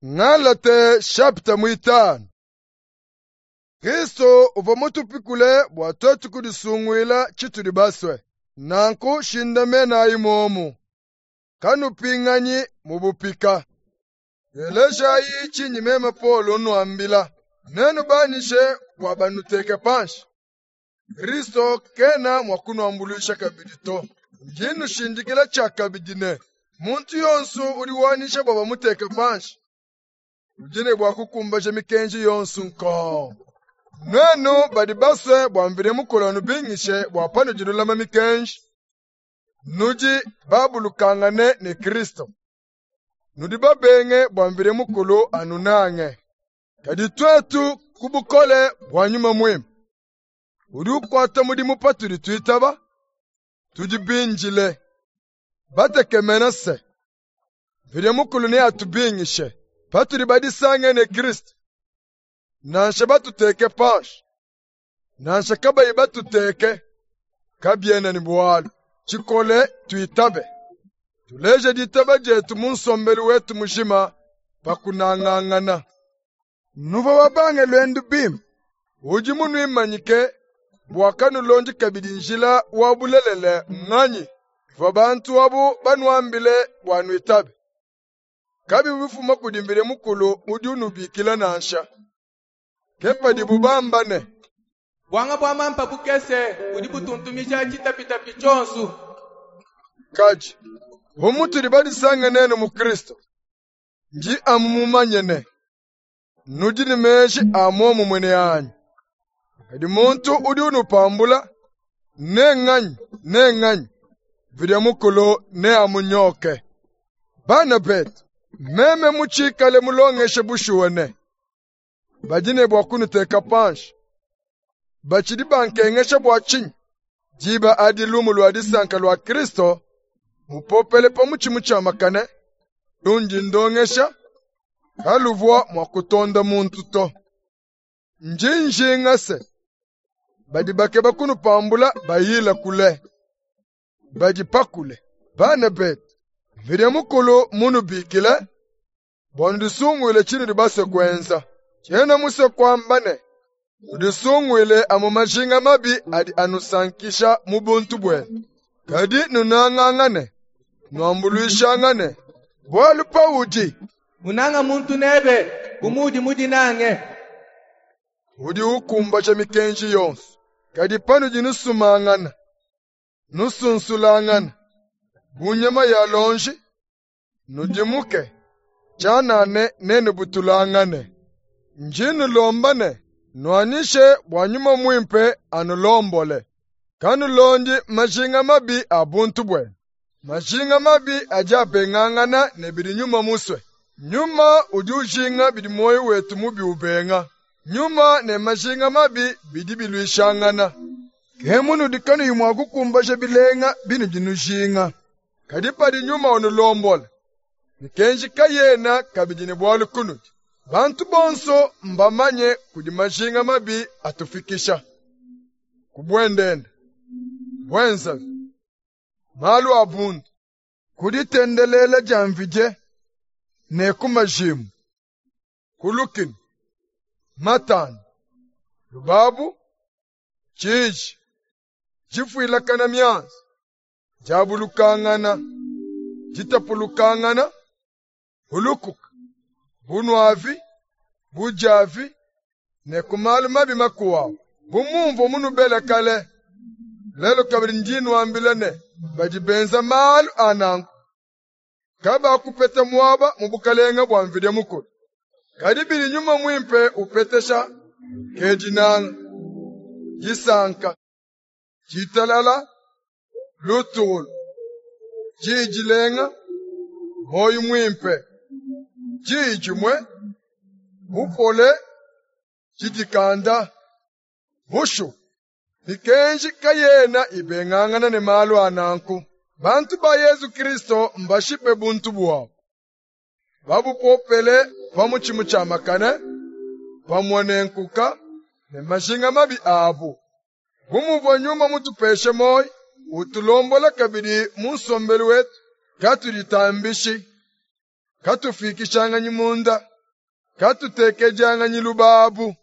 Ngalate shapita muitanu. Kristo uvua mutupikule bua tuetu kudisunguila tshitudi basue. Nanku shindamenayi muomu, kanupinganyi mu bupika. Telejayi tshindi meme Paulo nnuambila, nenu banyishe bua banuteke panshi. Kristo kena mua kunuambuluisha kabidi to. Ndi nnushindikila tshiakabidi ne, muntu yonso udi wanyisha bua bamuteke panshi udi ne bua kukumbaja mikenji yonso nkong. Nuenu badi basue bua Mvidi Mukulu anubingishe bua panudi nulama mikenji, nudi babulukangane ne Kristo. Nudi babenge bua Mvidi Mukulu anunange. Kadi tuetu ku bukole bua Nyuma Muimpe, udi ukuata mudimu patudi tuitaba, tudi bindile, batekemena se, Mvidi Mukulu neatubingishe patudi badisange ne Kristo, nansha batuteke panshi, nansha kabayi batuteke, kabiena ne bualu. Tshikole tuitabe, tuleje ditaba dietu mu nsombelu wetu mujima pa kunangangana. Nuvua babange luendu bimpe, udi munuimanyike bua kanulondi kabidi njila wa bulelela nnganyi? Bivua bantu abu banuambile bua nuitabe, kabivua bifuma kudi Mvidi Mukulu udi unubikila nansha. Ke padibu bamba ne, Buanga bua mampa bukese budi butuntumija tshitapitapi tshionso. Kadi bu mutudi badisange nenu mu Kristo, ndi amu mumanye ne, nudi ne meji a muomumue ne anyi. Kadi muntu udi unupambula, ne nganyi ne nganyi, Mvidi Mukulu neamunyoke. Bana betu, meme mutshikale mulongeshe bushuwa ne, badi ne bua kunuteka panshi, batshidi bankengesha bua tshinyi? Diba adi lumu lua disanka lua Kristo mupopele pa mutshi mutshiamakane lundi ndongesha kaluvua mua kutonda muntu to. Ndi njinga se, badi bakeba kunupambula bayila kule, badi pakule. Bana betu, Mvidi Mukulu munubikile bua nudisunguile tshinudi basue kuenza. Tshiena musue kuamba ne, nudisunguile amu majinga mabi adi anusankisha mu buntu buenu. Kadi nunangangane, nuambuluishangane, bualu paudi Unanga muntu nebe bu muudi mudinange. Udi ukumbaja mikenji yonso. Kadi panudi nusumangana, nusunsulangana, bu nyama ya lonji, nudimuke, tshianane nenubutulangane. Ndi nnulomba ne, nuanyishe bua Nyuma Muimpe anulombole. Kanulondi majinga mabi a buntu buenu. Majinga mabi adi abengangana ne bidi Nyuma musue. Nyuma udi ujinga bidi muoyo wetu mubi ubenga. Nyuma ne majinga mabi bidi biluishangana. Ke munudi kanuyi mua kukumbaja bilenga binudi nujinga. Kadi padi Nyuma unulombola, mikenji kayena kabidi ne bualu kunudi. Bantu bonso mbamanye kudi majinga mabi atufikisha ku buendenda, buenzavi, malu a bundu, ku ditendelela dia mvidie ne ku majimbu, ku lukinu, matandu, lubabu, tshiji, difuilakana mianzu, diabulukangana, ditapulukangana, bulukuka, bunuavi, budiavi ne ku malu mabi makuabu. Bu mumvua munubele kale, lelu kabidi ndi nnuambila ne, badi benza malu a nanku kabakupeta muaba mu bukalenga bua Mvidi Mukulu. Kadi bidi Nyuma Muimpe upetesha ke dinanga, disanka, ditalala, lutulu, diyi dilenga, muoyo muimpe, diyi dimue, bupole, didikanda. Bushuwa, mikenji kayena ibengangana ne malu a nanku. Bantu ba Yezu Kristo mbashipe buntu buabu, babupopele pa mutshi mutshiamakane, pamue ne nkuka ne majinga mabi abu. Bu muvua Nyuma mutupeshe muoyo, utulombola kabidi mu nsombelu wetu, katuditambishi, Katufikishanganyi munda, katutekejanganyi lubabu.